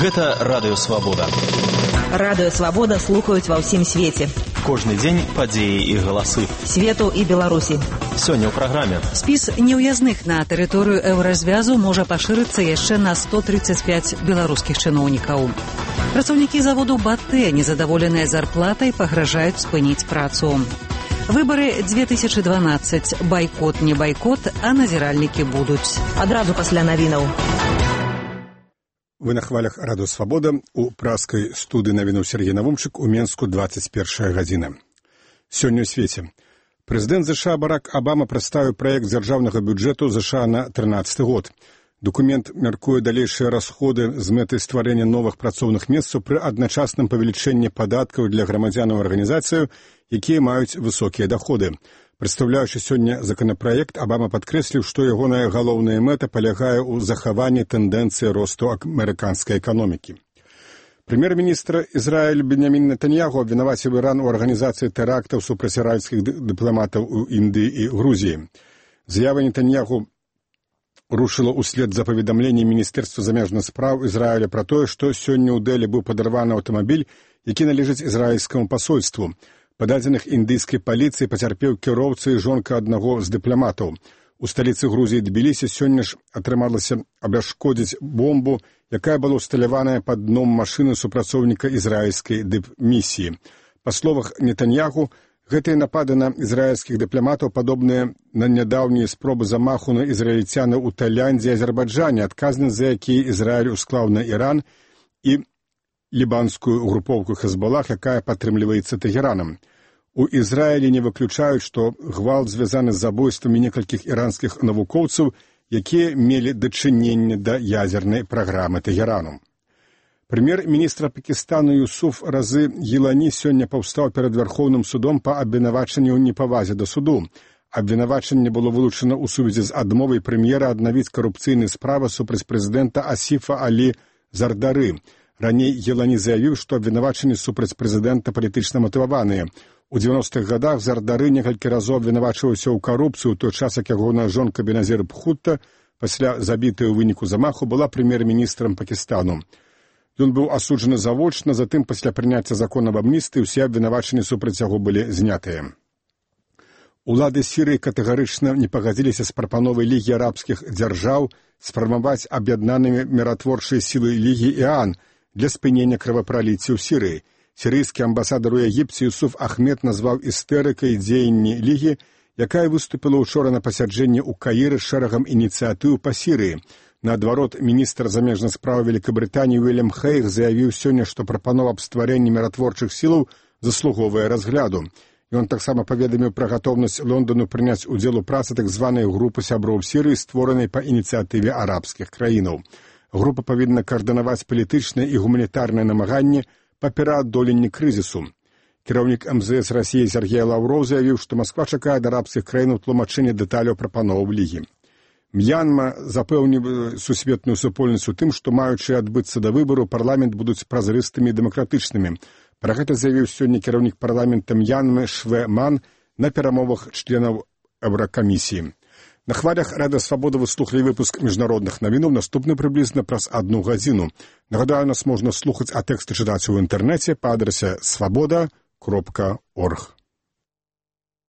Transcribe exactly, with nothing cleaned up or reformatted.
Гэта Радыё Свабода. Радыё Свабода слухаюць ва ўсім свеце. Кожны дзень падзеі і галасы. Свету і Беларусі. Сёння ў праграме. Спіс неўязных на тэрыторыю еўразвязу можа пашырыцца яшчэ на сто тридцать пять беларускіх чыноўнікаў. Працаўнікі заводу БАТЭ, незадаволеныя зарплатай, пагражаюць спыніць працу. Выбары две тысячи дванадцать. Байкот, не байкот, а назіральнікі будуць. Адразу пасля навінаў. Вы на хвалях Радыё Свабода, у праскай студыі навінаў Сергей Навумчык, у Менску двадцать першая гадзіна. Сёння ў свеце. Прэзідэнт ЗША Барак Абама прадставіў праект дзяржаўнага бюджэту ЗША на трынаццаты год. Документ мяркуе далейшыя расходы з мэтай стварэння новых працоўных месцаў пры адначасным павелічэнні падаткаў для грамадзянаў арганізацыяў, якія маюць высокія даходы. Прадстаўляючы сёння законапраект, Абама падкрэсліў, што ягоная галоўная мэта палягае ў захаванні тэндэнцыі росту амерыканскай эканомікі. Прэм'ер-міністр Ізраіль Беньямін Нетаньяху абвінаваціў Іран у арганізацыі тэрактаў супраць ізраільскіх дыпламатаў у Індыі і Грузіі. Заява Нетаньяху рушыла ўслед за паведамленнем Міністэрства замежных спраў Ізраіля пра тое, што сёння ў Дэлі быў падарваны аўтамабіль, які належыць ізраільскаму пасольству. Па дадзеных індыйскай паліцыі пацярпеў кіроўца і жонка аднаго з дыпламатаў. У сталіцы Грузіі Тбілісі сёння ж атрымалася абяшкодзіць бомбу, якая была ўсталяваная пад дном машыны супрацоўніка ізраільскай дыпмісіі. Па словах Нетаньяху, гэтыя напады на ізраільскіх дыпламатаў падобныя на нядаўнія спробы замаху на ізраільцянаў у Таіландзе і Азербайджане, адказнасць за якія Ізраіль усклаў на Іран і лібанскую групоўку Хезболах, якая падтрымліваецца Тэгеранам. У Ізраілі не выключаюць, што гвалт звязаны з забойствамі некалькіх іранскіх навукоўцаў, якія мелі дачыненне да ядзернай праграмы Тэгерану. Прэм'ер-міністр Пакістану Юсуф Разы Гілані сёння паўстаў перад Вярхоўным судом па абвінавачанні ў непавазе да суду. Абвінавачанне было вылучана ў сувязі з адмовай прэм'ера аднавіць карупцыйныя справы супраць прэзідэнта Асіфа Алі Зардары. Раней Гілані заявіў, што абвінавачанні супраць прэзідэнта палітычна матываваныя. У дзевяностых гадах Зардары некалькі разоў абвінавачваўся ў карупцыю, у той час, як ягоная жонка Беназір Бхутта, пасля забітай у выніку замаху, была прэм'ер-міністрам Пакістану. Ён быў асуджаны завочна, затым пасля прыняцця закона аб амністыі ўсе абвінавачанні супраць яго былі знятыя. Улады Сірыі катэгарычна не пагадзіліся з прапановай Лігі арабскіх дзяржаў сфармаваць аб'яднанымі міратворчыя сілы Лігі ІАН для спынення крывапраліцця ў Сірыі. Сірыйскі амбасадар у Егіпце Юсуф Ахмед назваў істэрыкай дзеянні Лігі, якая выступіла ўчора на пасяджэнні ў Каіры з шэрагам ініцыятыў па Сірыі. Наадварот, міністр замежных спраў Великабрытаніі Уильям Хейг заявіў сёння, што прапанова аб стварэнні міратворчых сілаў заслуговае разгляду. Ён таксама паведаміў пра гатоўнасць Лондану прыняць удзел у працы так званай групы сяброў Сірыі, створанай па ініцыятыве арабскіх краінаў. Група павінна каардынаваць палітычныя і гуманітарныя намаганні па пераадоленні крызісу. Кіраўнік эм зэ эс Расіі Сергей Лаўроў заявіў, што Масква чакае ад арабскіх краінаў тлумачэння дэталяў прапановаў Лігі. М'янма запэўніў сусветную супольнасць у тым, што маючы адбыцца да выбару, парламент будуць празрыстымі і дэмакратычнымі. Пра гэта заявіў сёння кіраўнік парламента М'янмы Швэ Ман на перамовах членаў Еўракамісіі. На хвалях Радыё Свабода вы слухалі выпуск міжнародных навінаў, наступны прыблізна праз адну гадзіну. Нагадаю, нас можна слухаць, а тэксты чытаць у інтэрнэце па адрасе свабода кропка орг.